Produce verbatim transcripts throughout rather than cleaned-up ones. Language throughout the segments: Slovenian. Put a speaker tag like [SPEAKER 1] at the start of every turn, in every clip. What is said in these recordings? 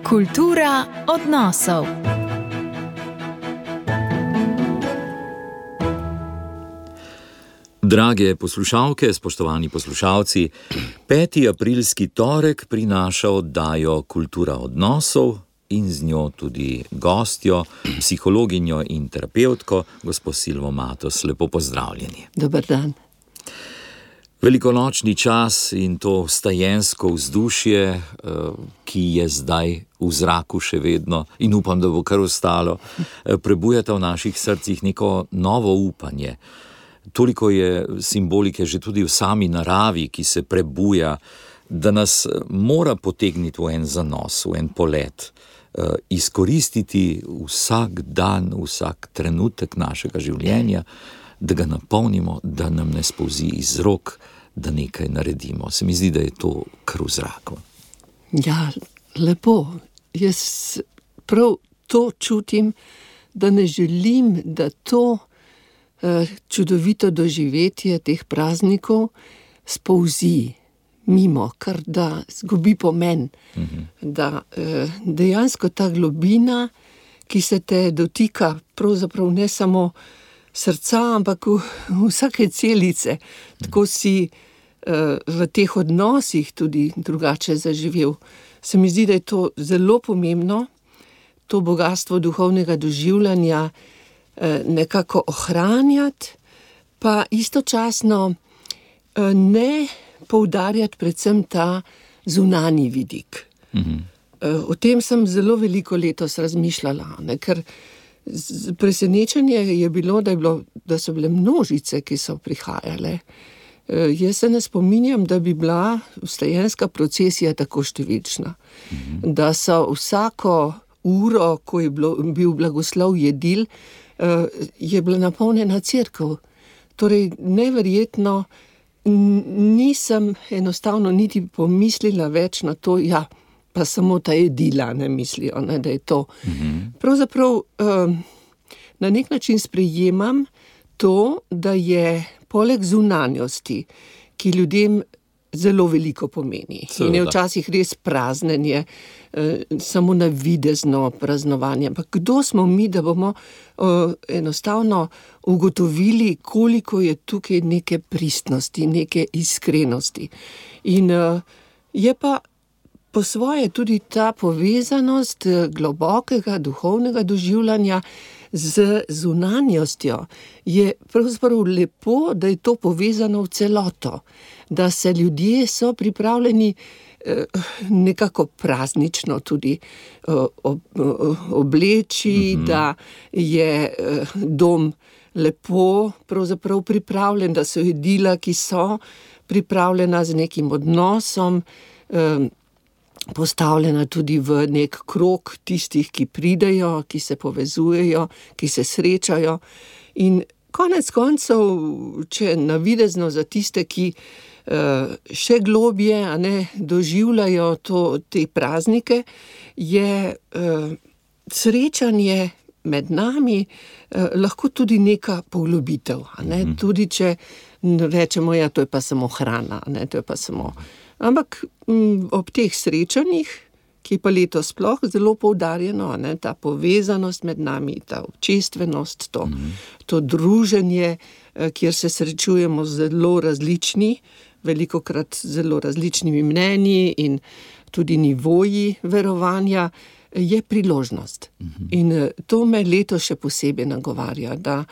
[SPEAKER 1] Kultura odnosov.
[SPEAKER 2] Drage poslušalke, spoštovani poslušalci, peti aprilski torek prinaša oddajo Kultura odnosov in z njo tudi gostjo, psihologinjo in terapevtko, gospo Silvo Matos. Lepo pozdravljeni.
[SPEAKER 3] Dober dan.
[SPEAKER 2] Velikonočni čas in to vstajensko vzdušje, ki je zdaj v zraku še vedno in upam, da bo kar ostalo, prebujata v naših srcih neko novo upanje. Toliko je simbolike že tudi v sami naravi, ki se prebuja, da nas mora potegniti v en zanos, v en polet, izkoristiti vsak dan, vsak trenutek našega življenja, da ga napolnimo, da nam ne spolzi iz rok, da nekaj naredimo. Se mi zdi, da je to kar v zraku.
[SPEAKER 3] Ja, lepo. Jaz prav to čutim, da ne želim, da to čudovito doživetje teh praznikov spolzi mimo, kar da zgubi pomen. Mhm. Da dejansko ta globina, ki se te dotika pravzaprav ne samo srca, ampak v, v vsake celice. Tako si uh, v teh odnosih tudi drugače zaživel. Se mi zdi, da je to zelo pomembno, to bogastvo duhovnega doživljanja uh, nekako ohranjati, pa istočasno uh, ne poudarjati predvsem ta zunanji vidik. Mhm. Uh, o tem sem zelo veliko letos razmišljala, ne, ker presenečenje je bilo, da, je bilo, da so bile množice, ki so prihajale. E, jaz se ne spominjam, da bi bila vstajenska procesija tako številčna. Mhm. Da so vsako uro, ko je bilo, bil blagoslov jedil, e, je bila napolnjena cerkev. Torej, neverjetno, nisem enostavno niti pomislila več na to, ja, pa samo ta jedila ne mislijo, ne, da je to. Mm-hmm. Pravzaprav um, na nek način sprejemam to, da je poleg zunanjosti, ki ljudem zelo veliko pomeni. Seveda. In je včasih res praznenje, eh, samo navidezno praznovanje. Ampak kdo smo mi, da bomo eh, enostavno ugotovili, koliko je tukaj neke pristnosti, neke iskrenosti. In eh, je pa po svoje tudi ta povezanost globokega duhovnega doživljanja z zunanjostjo. Je pravzaprav lepo, da je to povezano v celoto, da se ljudje so pripravljeni eh, nekako praznično tudi eh, ob, obleči, mm-hmm. da je eh, dom lepo pravzaprav pripravljen, da so jedila, ki so pripravljena z nekim odnosom, eh, postavljena tudi v nek krog tistih, ki pridejo, ki se povezujejo, ki se srečajo. In konec koncev, če navidezno za tiste, ki uh, še globje a ne, doživljajo to, te praznike, je uh, srečanje med nami uh, lahko tudi neka poglobitev. A ne? Mm-hmm. Tudi če rečemo, ja, to je pa samo hrana, a ne, to je pa samo... Ampak m, ob teh srečanjih, ki je pa letos sploh zelo poudarjeno, ne, ta povezanost med nami, ta občestvenost, to, mm-hmm. to druženje, kjer se srečujemo zelo različni, velikokrat zelo različnimi mnenji in tudi nivoji verovanja, je priložnost. Mm-hmm. In to me letos še posebej nagovarja, da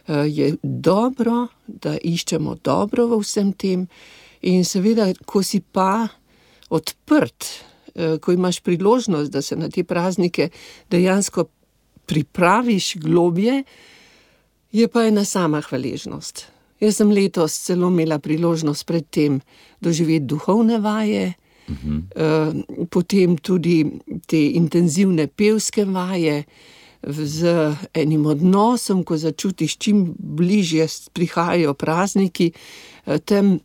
[SPEAKER 3] je dobro, da iščemo dobro v vsem tem. In seveda, ko si pa odprt, ko imaš priložnost, da se na te praznike dejansko pripraviš globje, je pa ena sama hvaležnost. Jaz sem letos celo imela priložnost pred tem doživeti duhovne vaje, uh-huh. potem tudi te intenzivne pevske vaje z enim odnosom, ko začutiš, čim bližje prihajajo prazniki, tem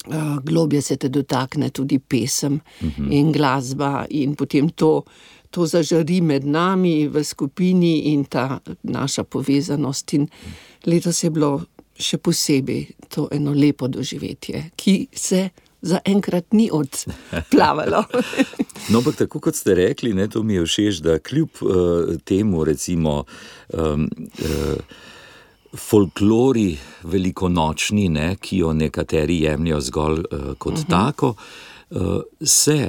[SPEAKER 3] Uh, globje se te dotakne tudi pesem uh-huh. in glasba in potem to, to zažari med nami v skupini in ta naša povezanost. In letos je bilo še posebej to eno lepo doživetje, ki se zaenkrat ni odplavalo.
[SPEAKER 2] No, ampak tako kot ste rekli, ne, to mi je všeč, da kljub uh, temu recimo um, uh, folklori velikonočni, ne, ki jo nekateri jemljajo zgolj uh, kot uh-huh. tako, uh, se,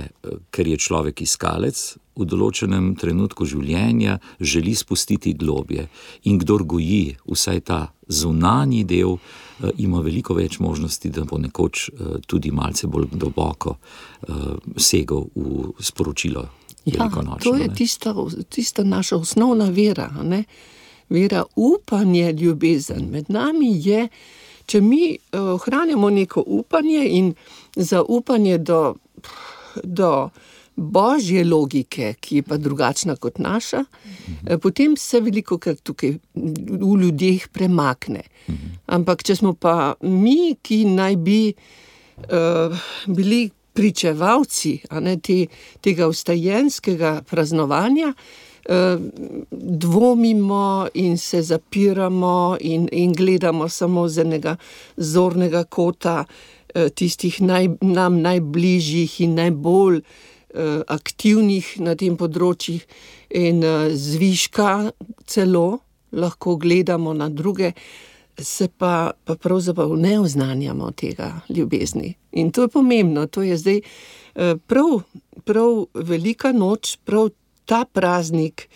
[SPEAKER 2] ker je človek iskalec, v določenem trenutku življenja želi spustiti globje. In kdor goji vsaj ta zunanji del, uh, ima veliko več možnosti, da bo nekoč uh, tudi malce bolj globoko uh, segel v sporočilo velikonočno.
[SPEAKER 3] Ja, to je tista, tista naša osnovna vera, ne? Vera, upanje, ljubezen. Med nami je, če mi ohranjamo neko upanje in zaupanje do, do božje logike, ki je pa drugačna kot naša, mhm. potem se velikokrat tukaj v ljudeh premakne. Mhm. Ampak če smo pa mi, ki naj bi uh, bili pričevalci, a ne, te, tega vstajenskega praznovanja, dvomimo in se zapiramo in, in gledamo samo z enega zornega kota tistih naj, nam najbližjih in najbolj uh, aktivnih na tem področjih in uh, zviška celo lahko gledamo na druge, se pa, pa pravzaprav ne oznanjamo tega ljubezni. In to je pomembno, to je zdaj uh, prav, prav velika noč, prav ta praznik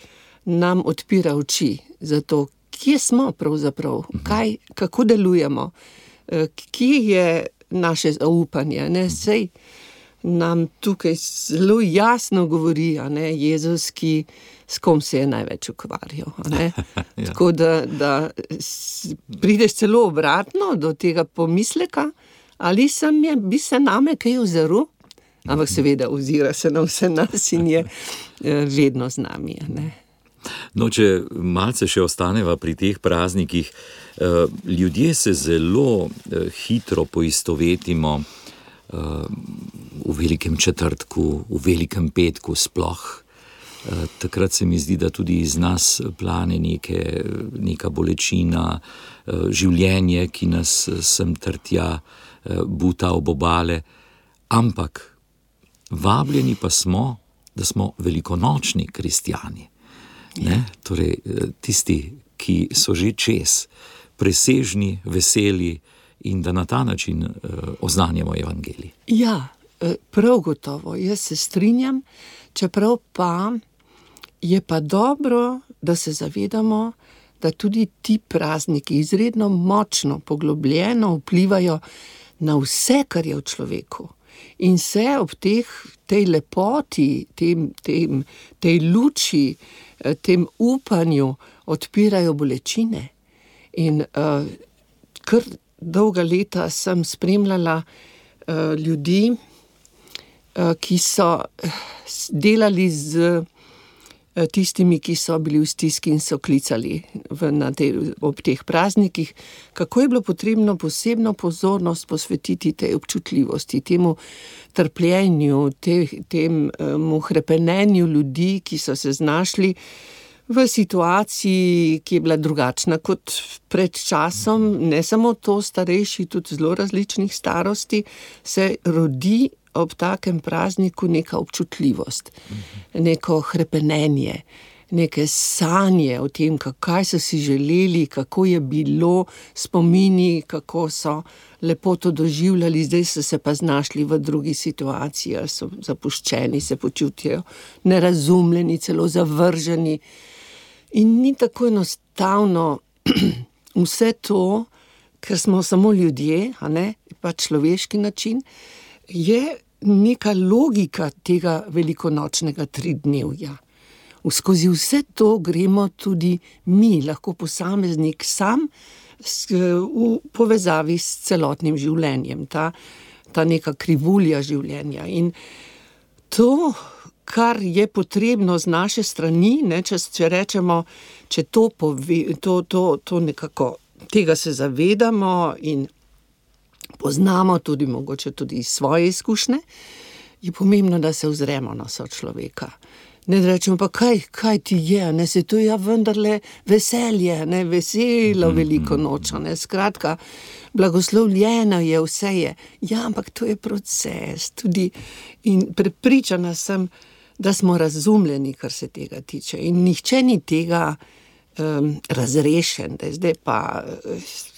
[SPEAKER 3] nam odpira oči za to, kje smo pravzaprav, kaj, kako delujemo, kje je naše zaupanje. Ne? Sej nam tukaj zelo jasno govori, a ne, Jezus, ki s kom se je največ ukvarjal. A ne? Ja. Tako da, da prideš celo obratno do tega pomisleka, ali sem je, bi se name kaj ozrl? Ampak seveda ozira se na vse nas in je vedno z nami. Ne?
[SPEAKER 2] No, če malce še ostaneva pri teh praznikih, ljudje se zelo hitro poistovetimo v velikem četrtku, v velikem petku sploh. Takrat se mi zdi, da tudi iz nas plane neke, neka bolečina, življenje, ki nas sem ter tja buta ob obale, ampak vabljeni pa smo, da smo velikonočni kristjani. Ne? Torej, tisti, ki so že čez, presežni, veseli in da na ta način uh, oznanjamo evangelij.
[SPEAKER 3] Ja, prav gotovo, jaz se strinjam, čeprav pa je pa dobro, da se zavedamo, da tudi ti prazniki izredno močno, poglobljeno vplivajo na vse, kar je v človeku. In se ob teh, tej lepoti, tem, tem, tej luči, tem upanju odpirajo bolečine. In uh, kar dolga leta sem spremljala uh, ljudi, uh, ki so delali z tistimi, ki so bili v stiski in so klicali v, na te, ob teh praznikih, kako je bilo potrebno posebno pozornost posvetiti tej občutljivosti, temu trpljenju, te, temu hrepenenju ljudi, ki so se znašli v situaciji, ki je bila drugačna kot pred časom, ne samo to, starejši, tudi zelo različnih starosti, se rodi ob takem prazniku neka občutljivost, neko hrepenenje, neke sanje o tem, kaj so si želeli, kako je bilo, spomini, kako so lepo to doživljali, zdaj so se pa znašli v drugi situaciji, so zapuščeni, se počutijo nerazumljeni, celo zavrženi. In ni tako enostavno vse to, ker smo samo ljudje, a ne, pa človeški način, je neka logika tega velikonočnega tridnevja. Skozi vse to gremo tudi mi, lahko posameznik sam, v povezavi s celotnim življenjem, ta, ta neka krivulja življenja. In to, kar je potrebno z naše strani, ne, če, če rečemo, če to, pove, to, to, to nekako, tega se zavedamo in poznamo tudi mogoče tudi svoje izkušnje, je pomembno, da se ozremo na sočloveka. Ne rečemo pa, kaj, kaj ti je, ne, se to je vendarle veselje, ne, veselo veliko noč, ne, skratka, blagoslovljeno je, vse je. Ja, ampak to je proces tudi in prepričana sem, da smo razumljeni, kar se tega tiče in nihče ni tega um, razrešen, da je zdaj pa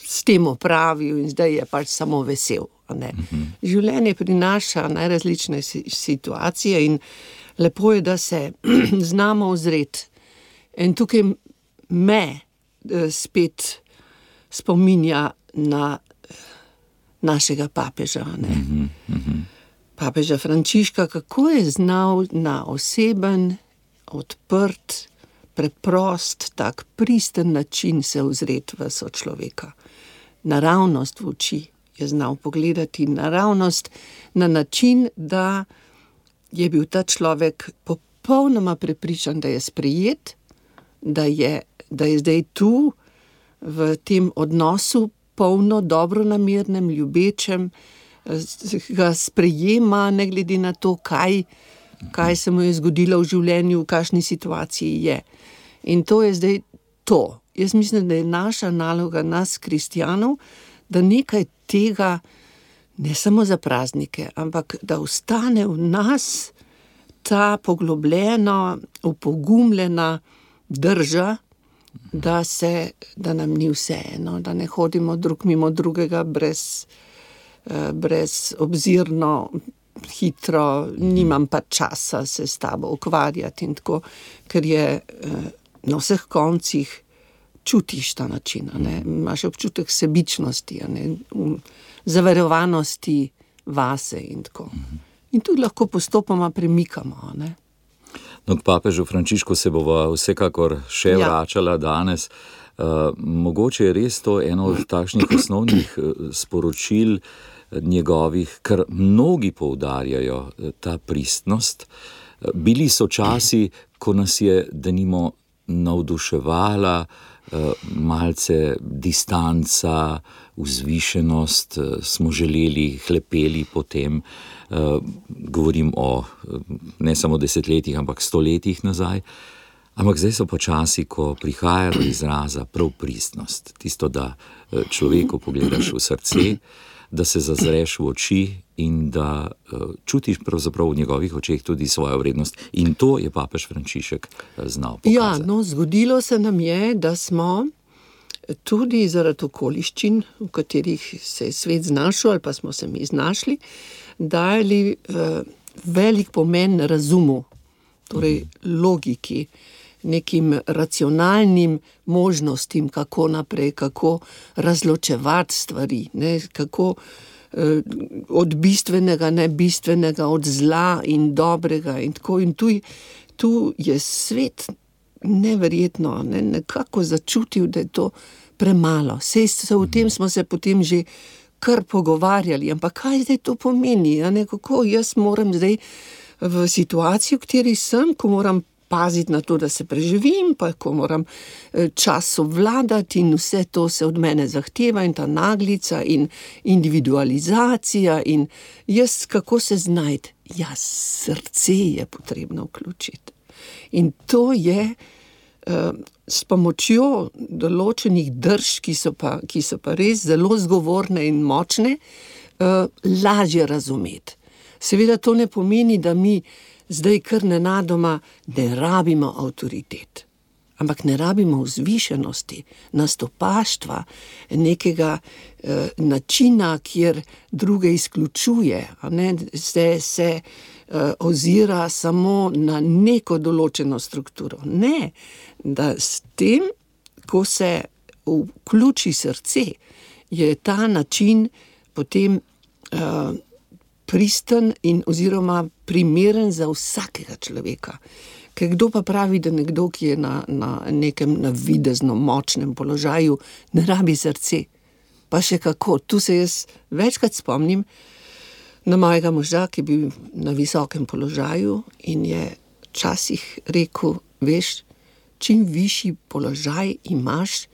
[SPEAKER 3] s tem opravil in zdaj je pač samo vesel, ne. Mhm. Življenje prinaša najrazlične situacije in lepo je, da se znamo ozreti. In tukaj me spet spominja na našega papeža, ne. Mm-hmm, mm-hmm. Papeža Frančiška, kako je znal na oseben, odprt, preprost, tak pristen način se ozreti v sočloveka. Naravnost v oči je znal pogledati, naravnost na način, da je bil ta človek popolnoma prepričan, da je sprejet, da je, da je zdaj tu v tem odnosu polno dobronamernem, ljubečem, ga sprejema, ne glede na to, kaj, kaj se mu je zgodilo v življenju, v kakšni situaciji je. In to je zdaj to. Jaz mislim, da je naša naloga, nas, kristjanov, da nekaj tega ne samo za praznike, ampak da ostane v nas ta poglobljena, upogumljena drža, da se, da nam ni vseeno, da ne hodimo drug mimo drugega brez, brez obzirno, hitro, nimam pa časa se s tabo ukvarjati in tako, ker je na vseh koncih čutiš ta način, ne? Imaš občutek sebičnosti, ne? Zavarovanosti vase in tako. In tudi lahko postopoma premikamo, ne?
[SPEAKER 2] No, k papežu Frančišku se bova vsekakor še ja. vračala danes. Uh, mogoče je res to eno od takšnih osnovnih sporočil njegovih, ker mnogi poudarjajo ta pristnost. Bili so časi, ko nas je denimo navduševala malce distanca, vzvišenost, smo želeli, hlepeli potem, govorim o ne samo desetletjih, ampak stoletjih nazaj, ampak zdaj so pa časi, ko prihaja do izraza prav pristnost, tisto, da človeku pogledaš v srce, da se zazreš v oči in da čutiš pravzaprav v njegovih očeh tudi svojo vrednost. In to je papež Frančišek znal pokazati.
[SPEAKER 3] Ja, no, zgodilo se nam je, da smo tudi zaradi okoliščin, v katerih se je svet znašel, ali pa smo se mi znašli, dali uh, velik pomen razumu, torej mm. logiki, nekim racionalnim možnostim, kako naprej, kako razločevati stvari, ne, kako eh, od bistvenega, ne bistvenega, od zla in dobrega in tako. In tu, tu je svet neverjetno, ne, nekako začutil, da je to premalo. Sej se v tem smo se potem že kar pogovarjali, ampak kaj zdaj to pomeni? Ja, ne, kako jaz moram zdaj v situaciji, v kateri sem, ko moram paziti na to, da se preživim, pa ko moram čas obvladati in vse to se od mene zahteva in ta naglica in individualizacija in jaz kako se znajti? Ja, srce je potrebno vključiti. In to je uh, s pomočjo določenih drž, ki so pa, ki so pa res zelo zgovorne in močne, uh, lažje razumeti. Seveda to ne pomeni, da mi zdaj kar nenadoma ne rabimo avtoritet, ampak ne rabimo vzvišenosti, nastopaštva, nekega eh, načina, kjer druge izključuje, a ne, se, se eh, ozira samo na neko določeno strukturo. Ne, da s tem, ko se vključi srce, je ta način potem eh, pristen in oziroma primeren za vsakega človeka. Ker kdo pa pravi, da nekdo, ki je na, na nekem navidezno močnem položaju, ne rabi srce. Pa še kako. Tu se jaz večkrat spomnim na mojega moža, ki je bil na visokem položaju in je včasih rekel, veš, čim višji položaj imaš,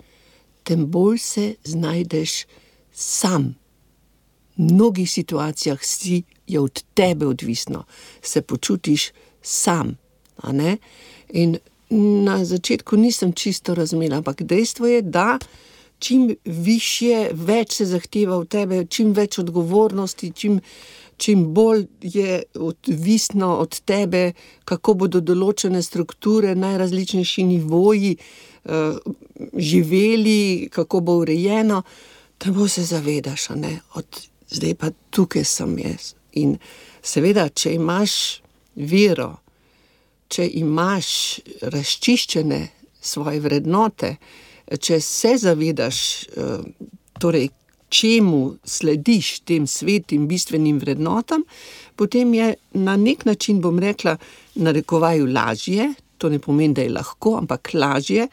[SPEAKER 3] tem bolj se znajdeš sam. V mnogih situacijah si je od tebe odvisno, se počutiš sam. a ne? In na začetku nisem čisto razumela, ampak dejstvo je, da čim višje, več se zahteva v tebe, čim več odgovornosti, čim, čim bolj je odvisno od tebe, kako bodo določene strukture, najrazličnejši nivoji uh, živeli, kako bo urejeno, da bo se zavedaš, a ne, od zdaj pa tukaj sem jaz. In seveda, če imaš vero, če imaš razčiščene svoje vrednote, če se zavedaš, torej, čemu slediš tem svetim bistvenim vrednotam, potem je na nek način, bom rekla, narekovaju lažje, to ne pomeni, da je lahko, ampak lažje,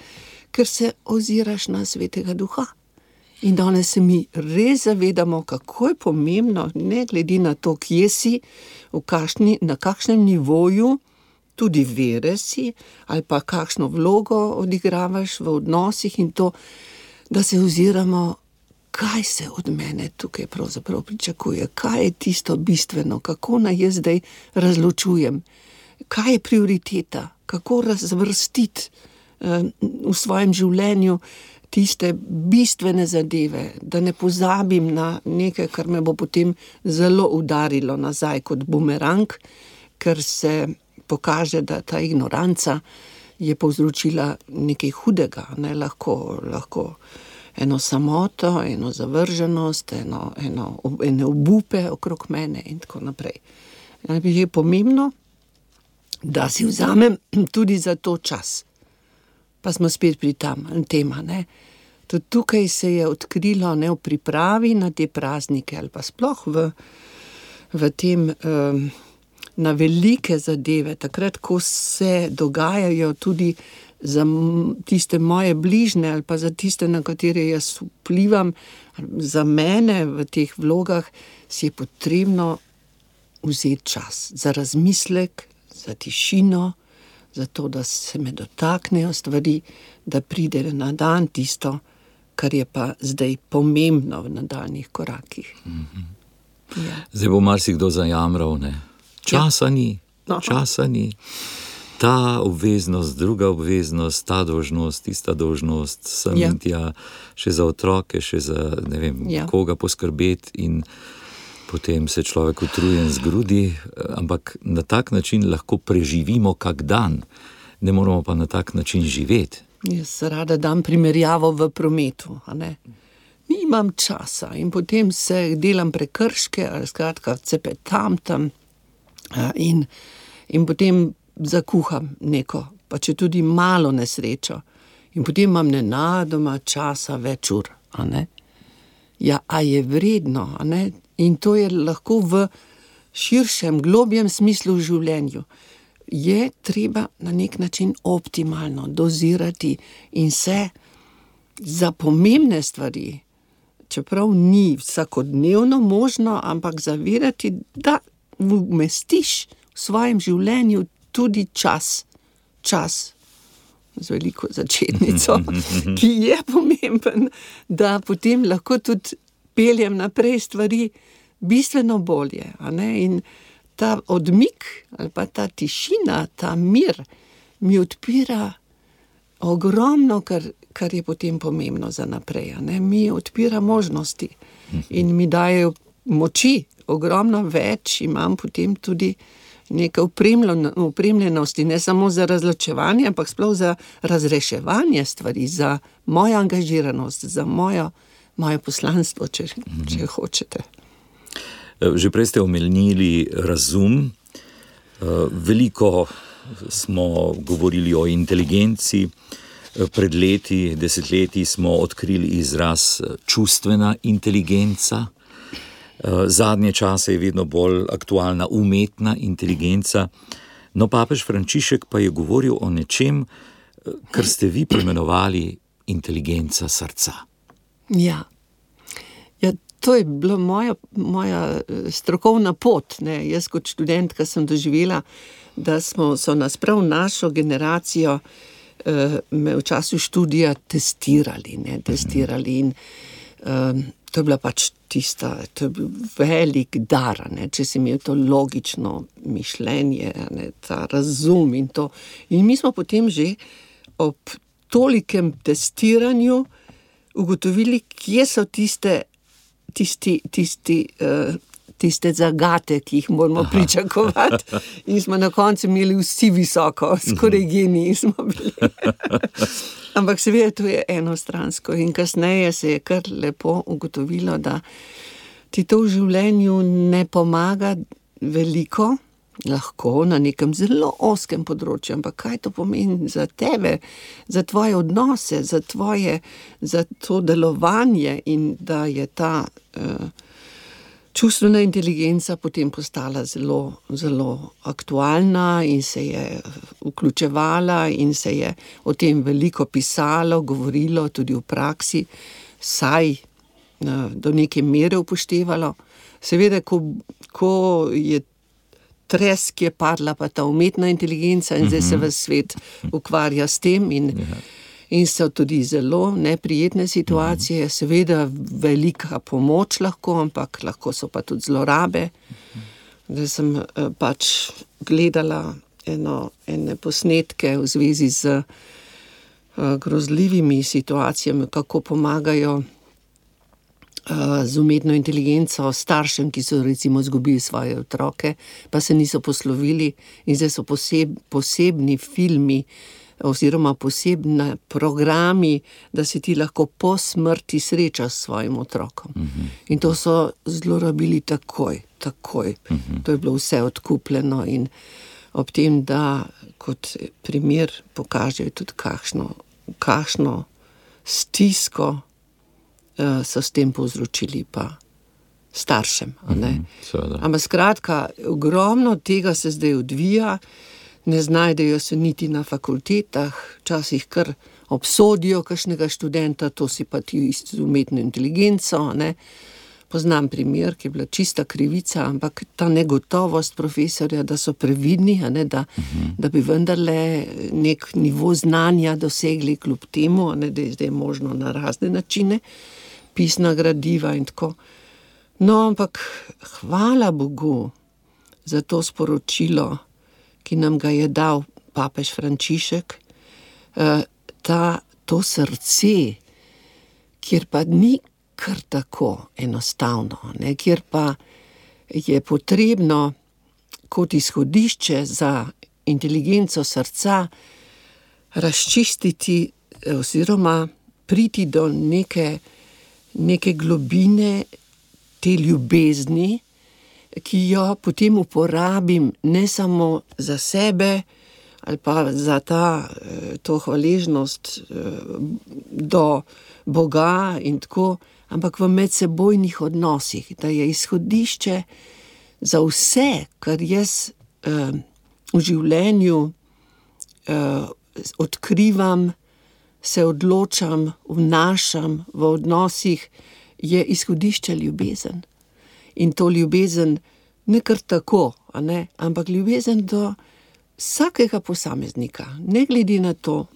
[SPEAKER 3] ker se oziraš na Svetega Duha. In danes se mi res zavedamo, kako je pomembno, ne glede na to, kje si, v kakšni, na kakšnem nivoju, tudi vere si, ali pa kakšno vlogo odigravaš v odnosih in to, da se oziramo, kaj se od mene tukaj pravzaprav pričakuje, kaj je tisto bistveno, kako naj jaz zdaj razločujem, kaj je prioriteta, kako razvrstiti uh, v svojem življenju tiste bistvene zadeve, da ne pozabim na nekaj, kar me bo potem zelo udarilo nazaj kot bumerang, ker se pokaže, da ta ignoranca je povzročila nekaj hudega, ne, lahko, lahko eno samoto, eno zavrženost, eno, eno, ene obupe okrog mene in tako naprej. Je pomembno, da si vzamem tudi za to čas. Pa smo spet pri tam, tema, ne. Tudi tukaj se je odkrilo, ne, v pripravi na te praznike ali pa sploh v, v tem um, na velike zadeve, takrat, ko se dogajajo tudi za tiste moje bližne ali pa za tiste, na katere jaz vplivam, za mene v teh vlogah, si je potrebno vzeti čas za razmislek, za tišino, za to, da se me dotaknejo stvari, da pride na dan tisto, kar je pa zdaj pomembno v nadaljnjih korakih.
[SPEAKER 2] Mm-hmm.
[SPEAKER 3] Ja.
[SPEAKER 2] Zdaj bo marsikdo zajamral, ne? Časa ni, časa ni. Ta obveznost, druga obveznost, ta dolžnost, tista dolžnost, sem
[SPEAKER 3] ja.
[SPEAKER 2] in tja, še za otroke, še za, ne vem,
[SPEAKER 3] ja.
[SPEAKER 2] koga poskrbeti in potem se človek utrujen zgrudi, ampak na tak način lahko preživimo kak dan, ne moramo pa na tak način živeti.
[SPEAKER 3] Jaz rada dam primerjavo v prometu, a ne? Nimam časa in potem se delam prekrške, ali skratka cepetam tam, In, in potem zakuham neko, pa če tudi malo nesrečo. In potem imam nenadoma časa več ur, a ne? Ja, a je vredno, a ne? In to je lahko v širšem, globjem smislu v življenju. Je treba na nek način optimalno dozirati in se za pomembne stvari, čeprav ni vsakodnevno možno, ampak zavedati, da umestiš v svojem življenju tudi čas, čas z veliko začetnico, ki je pomemben, da potem lahko tudi peljem naprej stvari bistveno bolje, a ne? In ta odmik ali pa ta tišina, ta mir mi odpira ogromno, kar, kar je potem pomembno za naprej, a ne? Mi odpira možnosti in mi dajejo moči, ogromno več, imam potem tudi nekaj opremljenosti, ne samo za razločevanje, ampak sploh za razreševanje stvari, za mojo angažiranost, za mojo, moje poslanstvo, če, če hočete.
[SPEAKER 2] Že prej ste omenili razum. Veliko smo govorili o inteligenci. Pred leti, desetletji smo odkrili izraz čustvena inteligenca. Zadnje čase je vedno bolj aktualna umetna inteligenca. No, papež Frančišek pa je govoril o nečem, kar ste vi poimenovali inteligenca srca.
[SPEAKER 3] Ja. Ja, to je bila moja, moja strokovna pot, ne. Jaz kot študentka sem doživela, da smo, so nas prav našo generacijo eh, me v času študija testirali, ne, testirali in eh, to je bila pač tista, to je bil velik dar, ne, če si imel to logično mišljenje, ne, ta razum in to. In mi smo potem že ob tolikem testiranju ugotovili, kje so tiste, tisti, tisti, uh, tiste zagate, ki jih moramo Aha. pričakovati. In smo na koncu imeli vsi visoko, skoraj geniji smo bili. Ampak seveda to je enostransko in kasneje se je kar lepo ugotovilo, da ti to v življenju ne pomaga veliko, lahko na nekem zelo ozkem področju, ampak kaj to pomeni za tebe, za tvoje odnose, za tvoje, za to delovanje in da je ta uh, čustvena inteligenca potem postala zelo, zelo aktualna in se je vključevala in se je o tem veliko pisalo, govorilo tudi v praksi, saj do neke mere upoštevalo. Seveda, ko, ko je tres, ki je padla pa ta umetna inteligenca in mm-hmm. zdaj se ves svet ukvarja s tem in yeah. In so tudi zelo neprijetne situacije, mm-hmm. seveda velika pomoč lahko, ampak lahko so pa tudi zlorabe. Mm-hmm. Zdaj sem uh, pač gledala eno, ene posnetke v zvezi z uh, grozljivimi situacijami, kako pomagajo uh, z umetno inteligenco staršem, ki so recimo izgubili svoje otroke, pa se niso poslovili in zdaj so poseb, posebni filmi, oziroma posebni programi, da se ti lahko po smrti srečaš s svojim otrokom. Uh-huh. In to so zlorabili takoj, takoj. Uh-huh. To je bilo vse odkupljeno in ob tem, da kot primer pokažejo tudi kakšno, kakšno stisko uh, so s tem povzročili pa staršem. Uh-huh. Ampak skratka, ogromno tega se zdaj odvija, ne znajdejo se niti na fakultetah, včasih kar obsodijo kakšnega študenta, to si pa ti z umetno inteligenco, ne. Poznam primer, ki je bila čista krivica, ampak ta negotovost profesorja, da so previdni, a ne, da, uh-huh. da bi vendarle nek nivo znanja dosegli kljub temu, a ne, da je zdaj možno na razne načine, pisna gradiva in tako. No, ampak hvala Bogu za to sporočilo, ki nam ga je dal papež Frančišek, ta, to srce, kjer pa ni kar tako enostavno, ne, kjer pa je potrebno kot izhodišče za inteligenco srca razčistiti oziroma priti do neke, neke globine te ljubezni, ki jo potem uporabim ne samo za sebe ali pa za ta, to hvaležnost do Boga in tako, ampak v medsebojnih odnosih, da je izhodišče za vse, kar jaz eh, v življenju eh, odkrivam, se odločam, vnašam v odnosih, je izhodišče ljubezen. In to ljubezen ne kar tako, a ne, ampak ljubezen do vsakega posameznika, ne glede na to,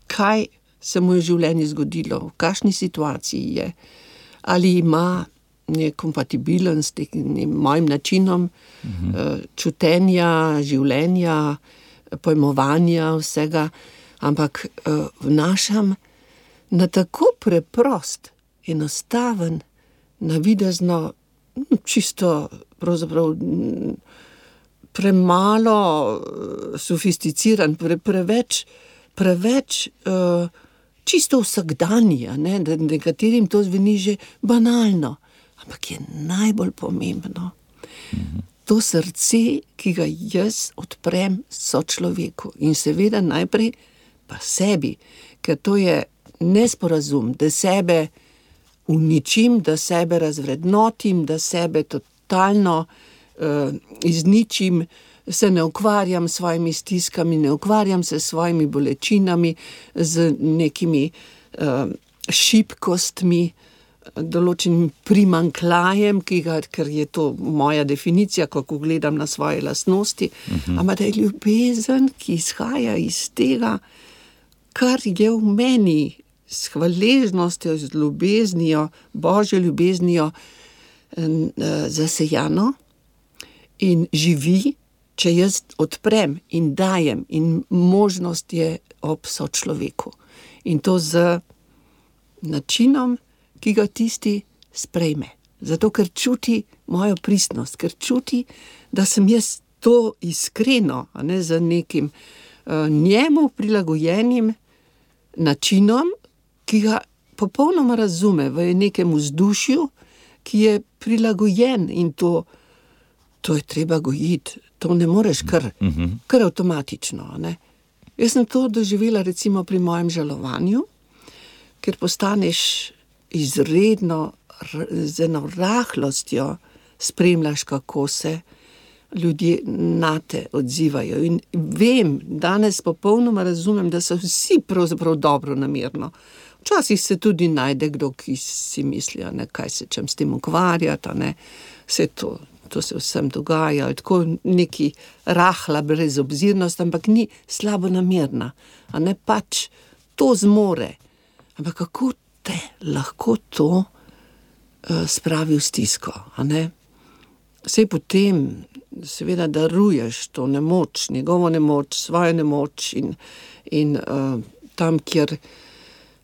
[SPEAKER 3] kaj se mu je v življenju zgodilo, v kakšni situaciji je, ali ima nekompatibilen s tem mojim načinom uh-huh. čutenja, življenja, pojmovanja vsega, ampak uh, vnašam na tako preprost, enostaven, navidezno, čisto pravzaprav premalo sofisticiran, pre, preveč, preveč uh, čisto vsakdanji, ne? Da nekaterim to zveni že banalno, ampak je najbolj pomembno. Mhm. To srce, ki ga jaz odprem sočloveku in seveda najprej pa sebi, ker to je nesporazum, da sebe uničim, da sebe razvrednotim, da sebe totalno uh, izničim, se ne ukvarjam s svojimi stiskami, ne ukvarjam se s svojimi bolečinami, z nekimi uh, šibkostmi, določenim primanjkljajem, ki ga, ker je to moja definicija, kako gledam na svoje lastnosti, uh-huh. ampak da je ljubezen, ki izhaja iz tega, kar je v meni s hvaležnostjo, z ljubeznijo, božjo ljubeznijo zasejano in živi, če jaz odprem in dajem, in možnost je ob sočloveku. In to z načinom, ki ga tisti sprejme. Zato, ker čuti mojo pristnost, ker čuti, da sem jaz to iskreno, a ne z nekim uh, njemu prilagojenim načinom, ki ga popolnoma razume v nekem vzdušju, ki je prilagojen in to, to je treba gojiti. To ne moreš kar, kar avtomatično. Ne? Jaz sem to doživela recimo pri mojem žalovanju, ker postaneš izredno z eno rahlostjo spremljaš, kako se ljudje nate odzivajo. In vem, danes popolnoma razumem, da so vsi pravzaprav dobro namerno. Včasih se tudi najde kdo, ki si mislijo, ne, kaj se čem s tem ukvarjati, ne, vse to, to se vsem dogaja, tako neki rahla brezobzirnost, ampak ni slabo namerna, a ne pač to zmore. Ampak kako te lahko to uh, spravi v stisko, a ne? Sej potem seveda daruješ to nemoč, njegovo nemoč, svojo nemoč in, in uh, tam, kjer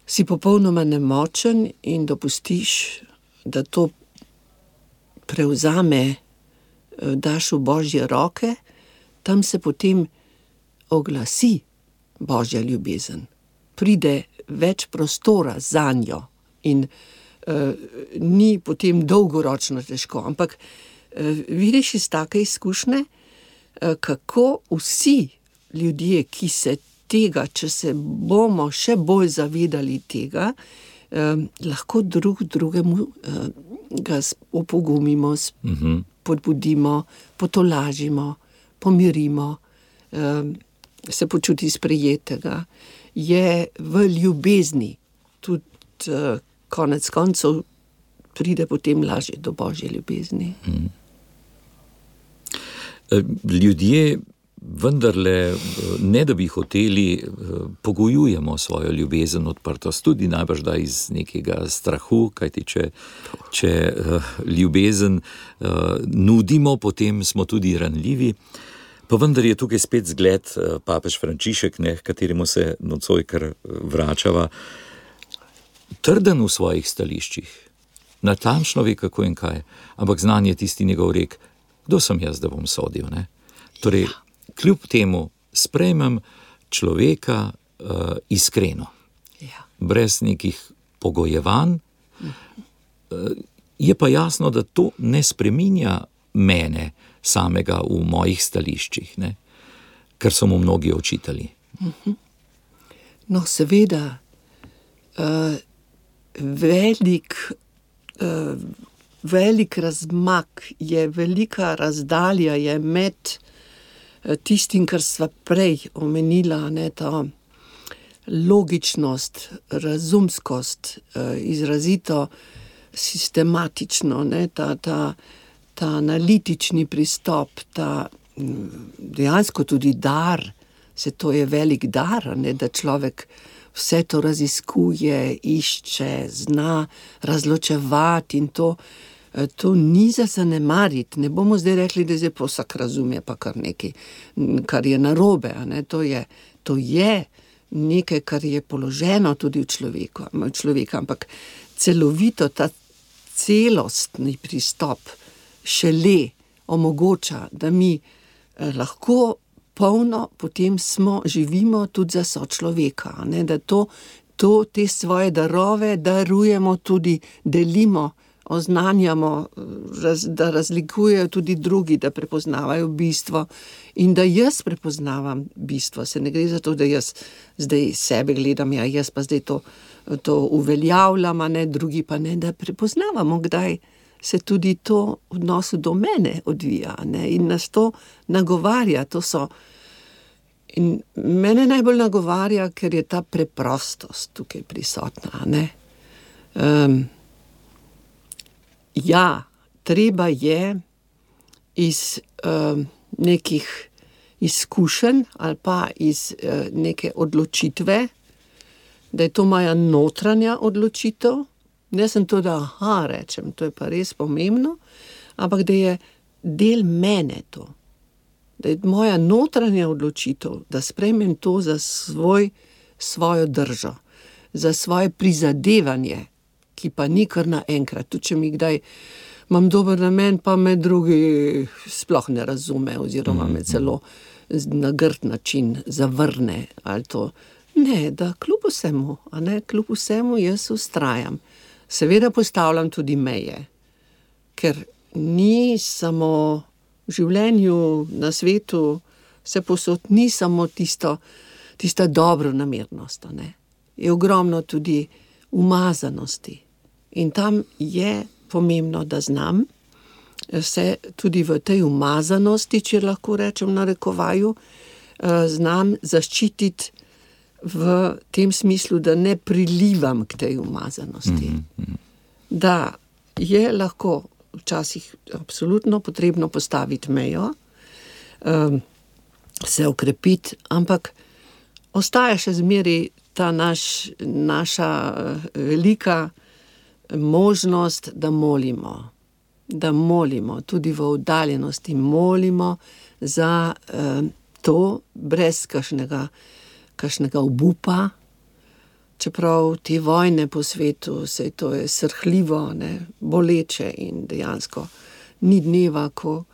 [SPEAKER 3] si popolnoma nemočen in dopustiš, da to prevzame, daš v Božje roke, tam se potem oglasi Božja ljubezen. Pride več prostora zanjo in uh, ni potem dolgoročno težko. Ampak uh, vidiš iz take izkušnje, uh, kako vsi ljudje, ki se tega, če se bomo še bolj zavedali tega, eh, lahko drug drugemu eh, ga opogumimo, uh-huh. podbudimo, potolažimo, pomirimo, eh, se počuti sprejetega, je v ljubezni. Tudi eh, konec koncev pride potem lažje do Božje ljubezni.
[SPEAKER 2] Uh-huh. Ljudje vendarle, ne da bi hoteli, pogojujemo svojo ljubezen, odprtost, tudi najbrž da iz nekega strahu, kajti če, če ljubezen nudimo, potem smo tudi ranljivi. Pa vendar je tukaj spet zgled papež Frančišek, ne, kateremu se nocoj kar vračava, trden v svojih stališčih, natančno ve kako in kaj, ampak znan je tisti njegov rek, kdo sem jaz, da bom sodil, ne? Torej, kljub temu sprejmem človeka uh, iskreno, ja. Brez nekih pogojevanj, uh, je pa jasno, da to ne spreminja mene samega v mojih stališčih, ne? Kar so mu mnogi očitali.
[SPEAKER 3] No, seveda, uh, velik, uh, velik razmak je, velika razdalja je med tistim, kar sva prej omenila, ne, ta logičnost, razumskost, izrazito sistematično, ne, ta, ta, ta analitični pristop, ta dejansko tudi dar, se to je velik dar, ne, da človek vse to raziskuje, išče, zna razločevati in to To ni za zanemariti, ne bomo zdaj rekli, da zdaj pa vsak razume pa kar nekaj, kar je narobe, ne? To je, to je nekaj, kar je položeno tudi v človeku, v človeka, ampak celovito ta celostni pristop šele omogoča, da mi eh, lahko polno potem smo, živimo tudi za sočloveka, ne? Da to, to, te svoje darove darujemo tudi, delimo, oznanjamo, raz, da razlikujejo tudi drugi, da prepoznavajo bistvo in da jaz prepoznavam bistvo. Se ne gre za to, da jaz zdaj sebe gledam, ja, jaz pa zdaj to, to uveljavljam, a ne, drugi pa ne, da prepoznavamo, kdaj se tudi to v odnosu do mene odvija, ne, in nas to nagovarja, to so. In mene najbolj nagovarja, ker je ta preprostost tukaj prisotna, ne. Um, Ja, treba je iz uh, nekih izkušenj ali pa iz uh, neke odločitve da je to moja notranja odločitev, ne sem to, da aha, rečem, to je pa res pomembno, ampak da je del mene to. Da je moja notranja odločitev, da sprejmem to za svoj, svojo držo, za svoje prizadevanje, ki pa ni kar naenkrat. Tudi če mi kdaj imam dober namen, pa me drugi sploh ne razume, oziroma me celo na grd način zavrne ali to. Ne, da kljub vsemu, a ne, kljub vsemu jaz vztrajam. Seveda postavljam tudi meje, ker ni samo v življenju, na svetu, vse posod, ni samo tisto, tista dobronamernost, a ne. Je ogromno tudi umazanosti. In tam je pomembno, da znam se tudi v tej umazanosti, če lahko rečem v narekovaju, znam zaščititi v tem smislu, da ne prilivam k tej umazanosti. Mm-hmm. Da je lahko včasih absolutno potrebno postaviti mejo, se okrepiti, ampak ostaja še zmeraj ta naš, naša velika možnost, da molimo. Da molimo, tudi v oddaljenosti molimo za eh, to, brez kakšnega, kakšnega obupa. Čeprav te vojne po svetu, sej to je srhljivo, ne, boleče in dejansko ni dneva, ko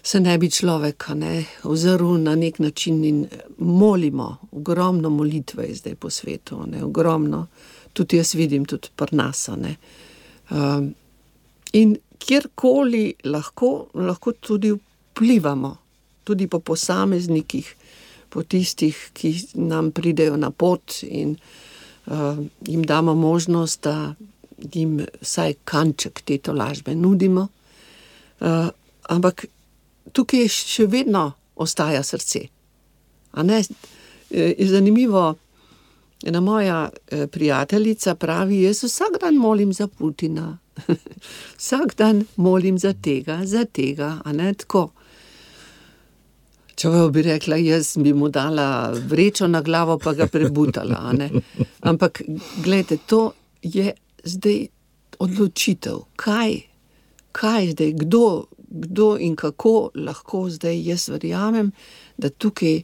[SPEAKER 3] se ne bi človek, ne, ozrl na nek način in molimo. Ogromno molitve je zdaj po svetu, ne, ogromno. Tudi jaz vidim, tudi pri nas, ne. Um, in kjerkoli lahko, lahko tudi vplivamo, tudi po posameznikih, po tistih, ki nam pridejo na pot in uh, jim damo možnost, da jim vsaj kanček te tolažbe nudimo. Uh, ampak tukaj še vedno ostaja srce. A ne? Je zanimivo, ena moja prijateljica pravi, jaz vsak dan molim za Putina. Vsak dan molim za tega, za tega, a ne tako. Če bi rekla, jaz bi mu dala vrečo na glavo, pa ga prebutala, a ne. Ampak, gledajte, to je zdaj odločitev. Kaj, kaj zdaj, kdo, kdo in kako lahko zdaj jaz verjamem, da tukaj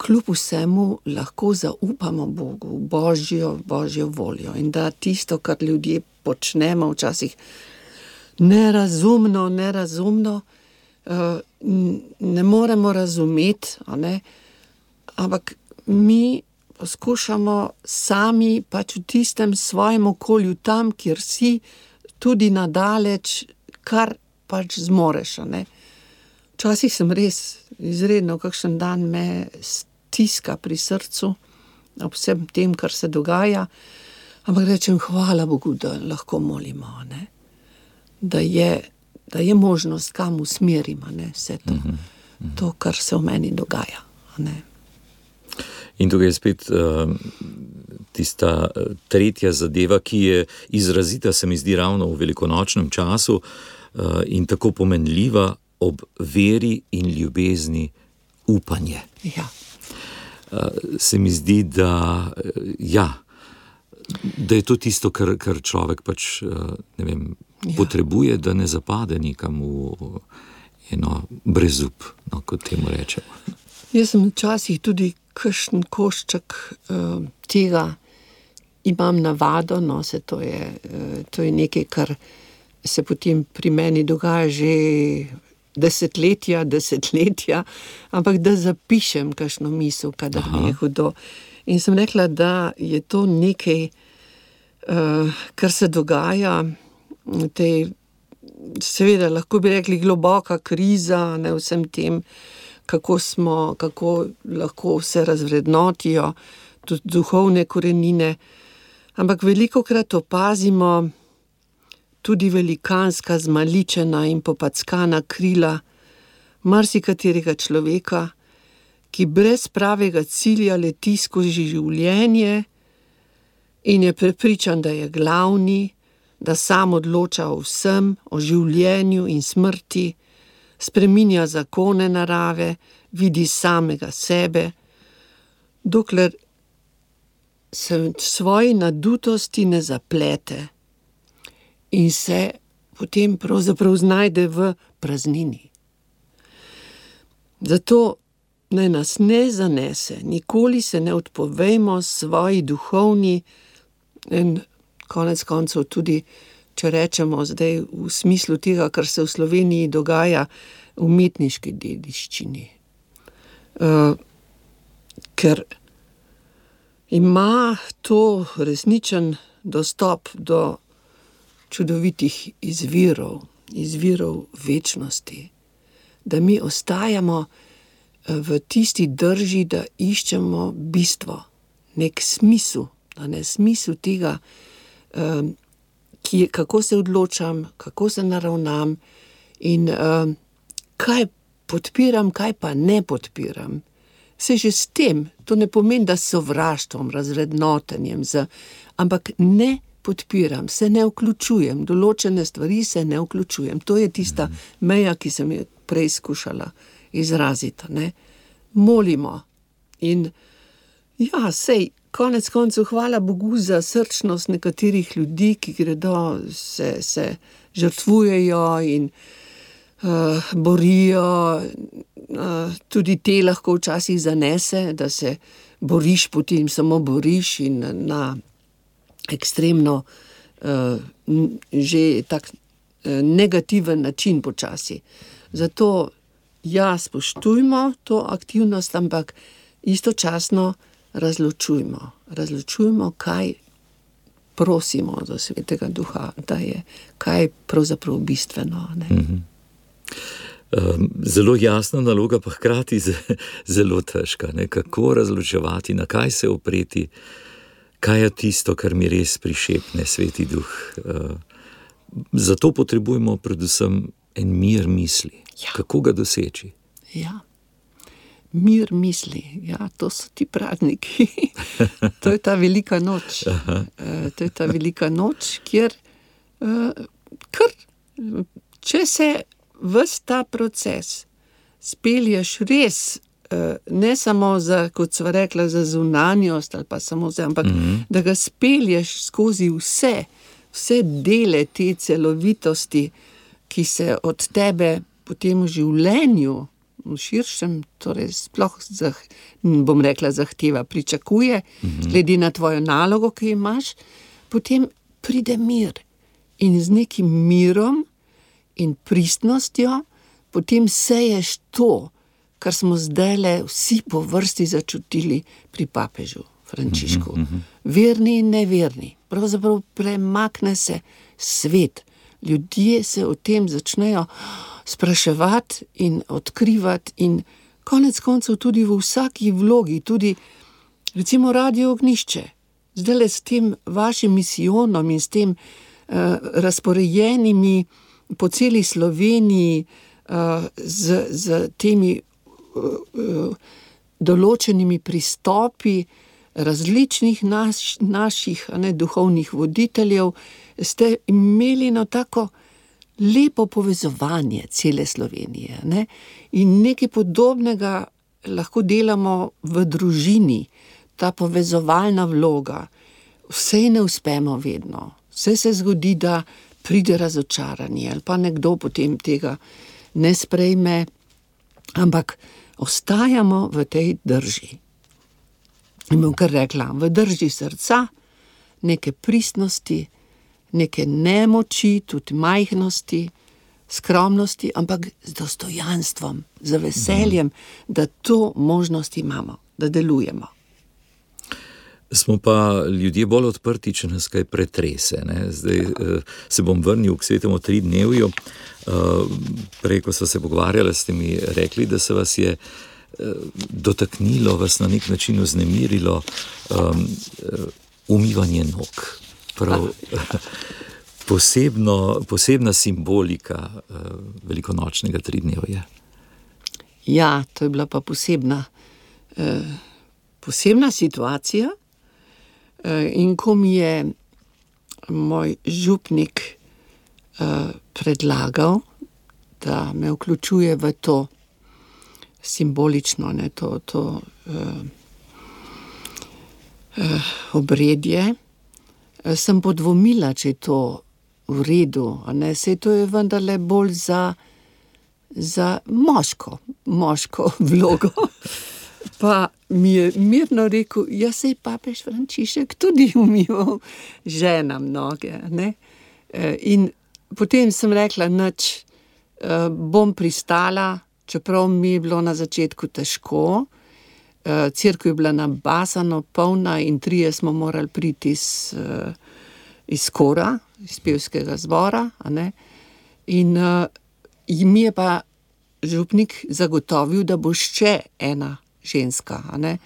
[SPEAKER 3] kljub vsemu lahko zaupamo Bogu, Božjo, Božjo voljo in da tisto, kar ljudje počnemo včasih nerazumno, nerazumno, ne moremo razumeti, a ne? Ampak mi poskušamo sami pač v tistem svojem okolju, tam, kjer si, tudi nadaleč, kar pač zmoreš, a ne? Včasih sem res izredno, kakšen dan me stiska pri srcu, ob vsem tem, kar se dogaja, ampak rečem, hvala Bogu, da lahko molimo, ne? Da je, da je možnost, kam usmerimo, ne? Vse to, mm-hmm. to, kar se v meni dogaja, ne?
[SPEAKER 2] In tukaj je spet uh, tista tretja zadeva, ki je izrazita, se mi zdi, ravno v velikonočnem času uh, in tako pomenljiva ob veri in ljubezni upanje.
[SPEAKER 3] Ja.
[SPEAKER 2] Se mi zdi, da, ja, da je to tisto, kar, kar človek pač, ne vem, ja. potrebuje, da ne zapade nikam v eno brezup, no, kot temu rečemo.
[SPEAKER 3] Jaz sem včasih tudi kakšen košček uh, tega imam navado, no, se to je, uh, to je nekaj, kar se potem pri meni dogaja že desetletja, desetletja, ampak da zapišem kakšno misel, kadar mi je hudo. In sem rekla, da je to nekaj, uh, kar se dogaja, tej, seveda lahko bi rekli globoka kriza, ne, vsem tem, kako smo, kako lahko se razvrednotijo, tudi duhovne korenine, ampak velikokrat opazimo tudi velikanska, zmaličena in popackana krila marsikaterega človeka, ki brez pravega cilja leti skozi življenje in je prepričan, da je glavni, da sam odloča o vsem, o življenju in smrti, spreminja zakone narave, vidi samega sebe, dokler se v svoji nadutosti ne zaplete in se potem pravzaprav znajde v praznini. Zato naj nas ne zanese, nikoli se ne odpovejmo svoji duhovni in konec koncev tudi, če rečemo zdaj v smislu tega, kar se v Sloveniji dogaja, umetniški dediščini. Uh, ker ima to resničen dostop do čudovitih izvirov, izvirov večnosti, da mi ostajamo v tisti drži, da iščemo bistvo, nek smisel, da ne smisel tega, um, ki, kako se odločam, kako se naravnam in um, kaj podpiram, kaj pa ne podpiram. Se že s tem, to ne pomeni, da s sovraštvom, razrednotenjem, z, ampak ne podpiram, se ne vključujem, določene stvari se ne vključujem. To je tista meja, ki sem jo prej skušala izraziti. Ne? Molimo in ja, sej, konec koncev hvala Bogu za srčnost nekaterih ljudi, ki gredo, se, se žrtvujejo in uh, borijo. Uh, tudi te lahko včasih zanese, da se boriš, potem samo boriš in na ekstremno uh, že tak uh, negativen način počasi. Zato ja, spoštujmo to aktivnost, ampak istočasno razločujmo. Razločujmo, kaj prosimo do Svetega Duha, da je kaj pravzaprav bistveno. Ne?
[SPEAKER 2] Mm-hmm. Zelo jasna naloga, pa hkrati zelo težka. Ne? Kako razločevati, na kaj se opreti, kaj je tisto, kar mi res prišepne Sveti Duh. Zato potrebujemo predvsem en mir misli. Ja. Kako ga doseči?
[SPEAKER 3] Ja, mir misli. Ja, to so ti prazniki. To je ta velika noč. Aha. To je ta velika noč, kjer kar, če se ves ta proces spelješ res, ne samo za, kot sva rekla, za zunanjost ali pa samo za, ampak mm-hmm. da ga spelješ skozi vse, vse dele te celovitosti, ki se od tebe potem v življenju, v širšem, torej sploh, zah, bom rekla, zahteva, pričakuje, mm-hmm. glede na tvojo nalogo, ki imaš, potem pride mir. In z nekim mirom in pristnostjo potem seješ to, kar smo zdajle vsi po vrsti začutili pri papežu Frančišku. Mm-hmm. Verni in neverni. Pravzaprav premakne se svet. Ljudje se o tem začnejo spraševati in odkrivati in konec koncev tudi v vsaki vlogi, tudi recimo Radio Ognjišče. Zdajle s tem vašim misijonom in s tem uh, razporejenimi po celi Sloveniji uh, z, z temi uh, uh, določenimi pristopi različnih naš, naših ne, duhovnih voditeljev, ste imeli na tako lepo povezovanje cele Slovenije. Ne? In nekaj podobnega lahko delamo v družini, ta povezovalna vloga. Vse ne uspemo vedno. Vse se zgodi, da pride razočaranje ali pa nekdo potem tega ne sprejme, ampak ostajamo v tej drži. In bom kar rekla, v drži srca, neke pristnosti, neke nemoči, tudi majhnosti, skromnosti, ampak z dostojanstvom, z veseljem, da to možnost imamo, da delujemo.
[SPEAKER 2] Smo pa ljudje bolj odprti, če nas kaj pretrese. Ne? Zdaj uh, se bom vrnil k Svetemu tridnevju. Uh, prej, ko so se pogovarjali, ste mi rekli, da se vas je uh, dotaknilo, vas na nek način vznemirilo um, uh, umivanje nog. Prav, posebno, posebna simbolika uh, velikonočnega tridnevja.
[SPEAKER 3] Ja, to je bila pa posebna, uh, posebna situacija. In ko mi je moj župnik uh, predlagal, da me vključuje v to simbolično, ne, to, to uh, obredje, sem podvomila, če je to v redu, a ne, saj to je vendarle bolj za, za moško, moško vlogo. Pa mi je mirno rekel, ja, saj papež Frančišek tudi umival ženam noge, ne. In potem sem rekla, nič, bom pristala, čeprav mi je bilo na začetku težko. Cerkev je bila nabasano polna in trije smo morali priti iz, iz kora, iz pevskega zbora, a ne. In mi je pa župnik zagotovil, da bo še ena ženska, a ne.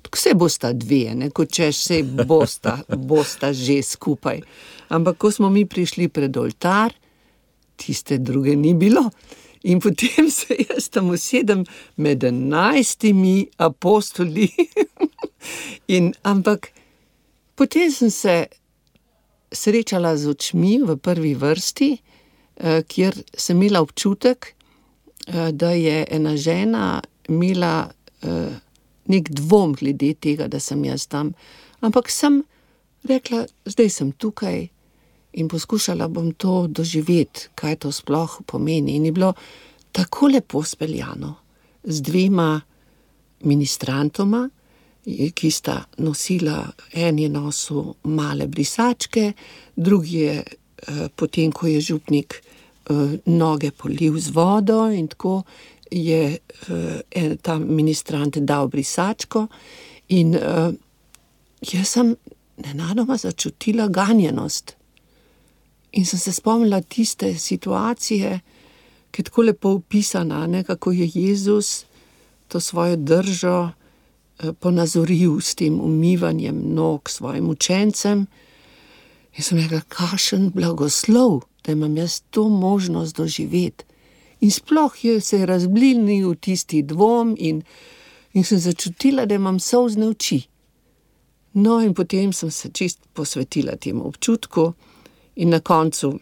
[SPEAKER 3] Tako se bosta dve, ne, kot če se bosta, bosta že skupaj. Ampak ko smo mi prišli pred oltar, tiste druge ni bilo. In potem se jaz tam usedem med enajstimi apostoli. In, ampak potem sem se srečala z očmi v prvi vrsti, kjer sem imela občutek, da je ena žena imela nek dvom glede tega, da sem jaz tam. Ampak sem rekla, zdaj sem tukaj in poskušala bom to doživeti, kaj to sploh pomeni. In je bilo tako lepo speljano z dvema ministrantoma, ki sta nosila, en je nosil male brisačke, drugi je, potem ko je župnik noge polil z vodo in tako, je en, ta ministrant dal brisačko in jaz sem nenadoma začutila ganjenost. In sem se spomnila tiste situacije, ki je tako lepo opisana, ne, kako je Jezus to svojo držo ponazoril s tem umivanjem nog svojim učencem. In sem rekla, kakšen blagoslov, da imam jaz to možnost doživeti. In sploh je se razblinil tisti dvom in, in sem začutila, da imam solzne oči. No in potem sem se čist posvetila temu občutku in na koncu,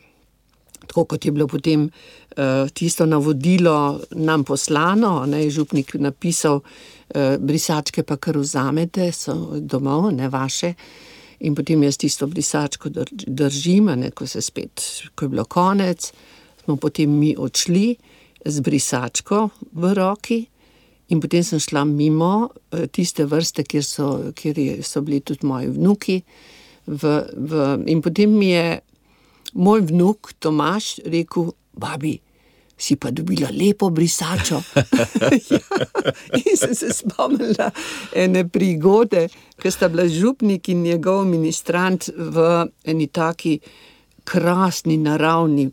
[SPEAKER 3] tako kot je bilo potem uh, tisto navodilo nam poslano, ne, je župnik napisal, uh, brisačke pa kar vzamete, so domov, ne vaše. In potem jaz tisto brisačko držim, ne, ko se spet, ko je bilo konec, smo potem mi odšli z brisačko v roki in potem sem šla mimo tiste vrste, kjer so, kjer so bili tudi moji vnuki. V, v, in potem mi je moj vnuk Tomaž rekel, babi, si pa dobila lepo brisačo. Ja. In sem se spomnila ene prigode, ko sta bila župnik in njegov ministrant v eni taki krasni naravni,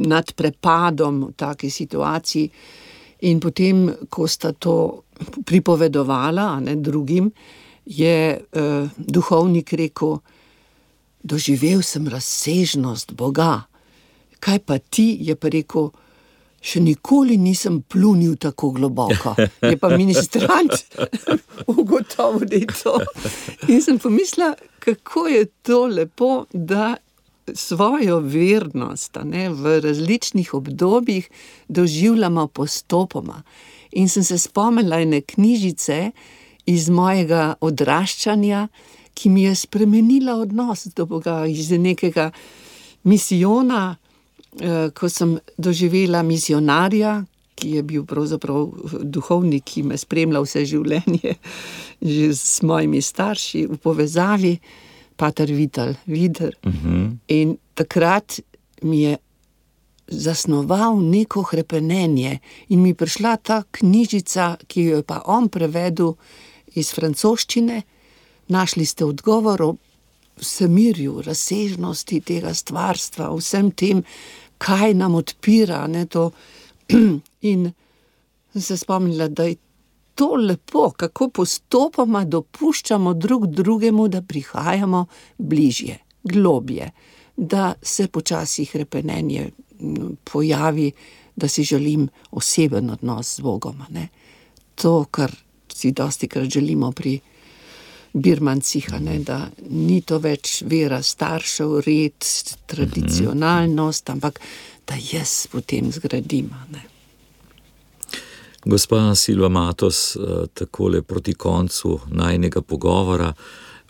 [SPEAKER 3] nad prepadom v taki situaciji. In potem, ko sta to pripovedovala, a ne, drugim, je uh, duhovnik rekel, doživel sem razsežnost Boga. Kaj pa ti, je pa rekel, še nikoli nisem plunil tako globoko. Je pa ministrant ugotovil, da je to. In sem pomislila, kako je to lepo, da svojo vernost, a ne, v različnih obdobjih doživljamo postopoma. In sem se spomnila ene knjižice iz mojega odraščanja, ki mi je spremenila odnos do Boga, iz nekega misijona, ko sem doživela misionarja, ki je bil pravzaprav duhovnik, ki me spremlja vse življenje, že s mojimi starši v povezavi, pater Vital Vider. Uh-huh. In takrat mi je zasnoval neko hrepenenje in mi prišla ta knjižica, ki jo je pa on prevedel iz francoščine. Našli ste odgovor o vsemirju, razsežnosti tega stvarstva, vsem tem, kaj nam odpira, ne, to. In sem se spomnila, da je to lepo, kako postopoma dopuščamo drug drugemu, da prihajamo bližje, globje, da se počasi hrepenenje pojavi, da si želim oseben odnos z Bogom, ne. To, kar si dostikrat želimo pri birmancih, ne, da ni to več vera staršev, red, tradicionalnost, ampak da jaz potem zgradim, ne.
[SPEAKER 2] Gospa Silva Matos, takole proti koncu najinega pogovora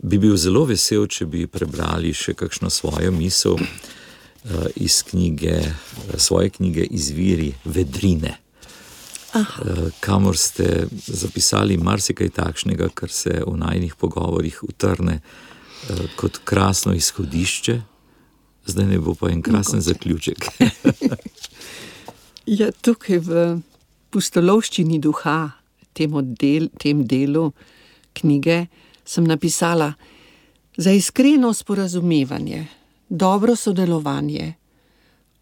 [SPEAKER 2] Bi bil zelo vesel, če bi prebrali še kakšno svojo misel iz knjige, svoje knjige Izviri vedrine, Aha. kamor ste zapisali marsikaj takšnega, kar se v najnih pogovorih utrne kot krasno izhodišče, zdaj ne bo pa en krasen Mogoče. Zaključek.
[SPEAKER 3] Ja, tukaj v pustolovščini duha, temu del, tem delu knjige, sem napisala: za iskreno sporazumevanje, dobro sodelovanje,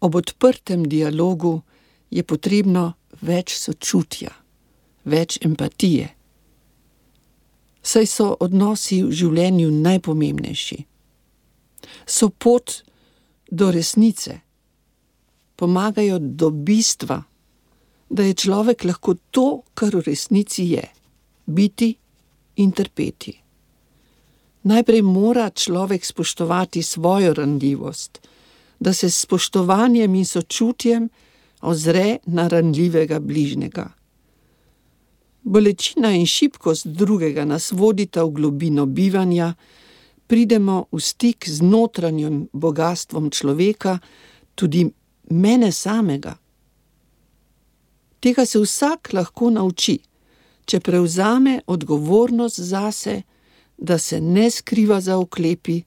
[SPEAKER 3] ob odprtem dialogu je potrebno več sočutja, več empatije. Saj so odnosi v življenju najpomembnejši. So pot do resnice, pomagajo do bistva, da je človek lahko to, kar v resnici je, biti in trpeti. Najprej mora človek spoštovati svojo ranljivost, da se s spoštovanjem in sočutjem ozre na ranljivega bližnjega. Bolečina in šibkost drugega nas vodita v globino bivanja, pridemo v stik z notranjim bogastvom človeka, tudi mene samega. Tega se vsak lahko nauči, če prevzame odgovornost zase, da se ne skriva za oklepi,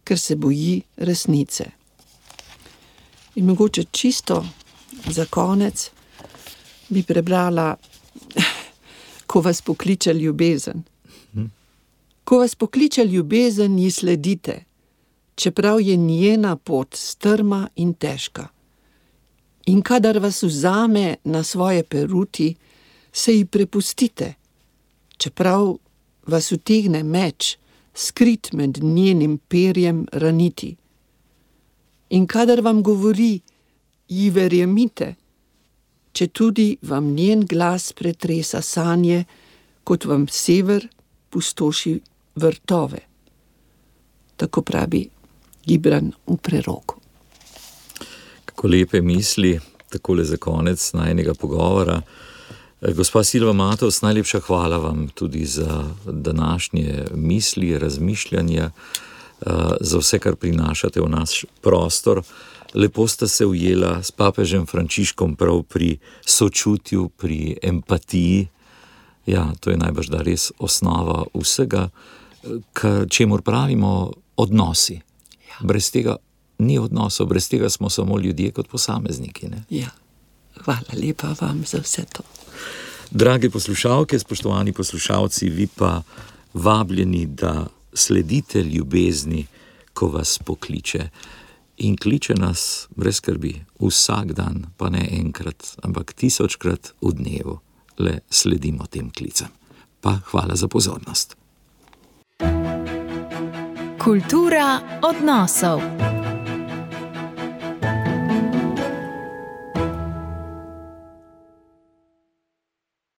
[SPEAKER 3] ker se boji resnice. In mogoče čisto za konec bi prebrala Ko vas pokliče ljubezen. Ko vas pokliče ljubezen, ji sledite, čeprav je njena pot strma in težka. In kadar vas vzame na svoje peruti, se ji prepustite, čeprav vas utegne meč, skrit med njenim perjem, raniti. In kadar vam govori, ji verjemite, če tudi vam njen glas pretresa sanje, kot vam sever pustoši vrtove. Tako pravi Gibran v preroku.
[SPEAKER 2] Kako lepe misli, takole za konec najnega pogovora. Gospa Silva Matovs, najlepša hvala vam tudi za današnje misli, razmišljanja, za vse, kar prinašate v naš prostor. Lepo sta se ujela s papežem Frančiškom prav pri sočutju, pri empatiji. Ja, to je najbrž da res osnova vsega, čemur pravimo odnosi. Ja. Brez tega ni odnosov, brez tega smo samo ljudje kot posamezniki. Ne?
[SPEAKER 3] Ja, hvala lepa vam za vse to.
[SPEAKER 2] Drage poslušalke, spoštovani poslušalci, vi pa vabljeni, da sledite ljubezni, ko vas pokliče. In kliče nas brez skrbi, vsak dan, pa ne enkrat, ampak tisočkrat v dnevu. Le sledimo tem klicem. Pa hvala za pozornost.
[SPEAKER 1] Kultura odnosov.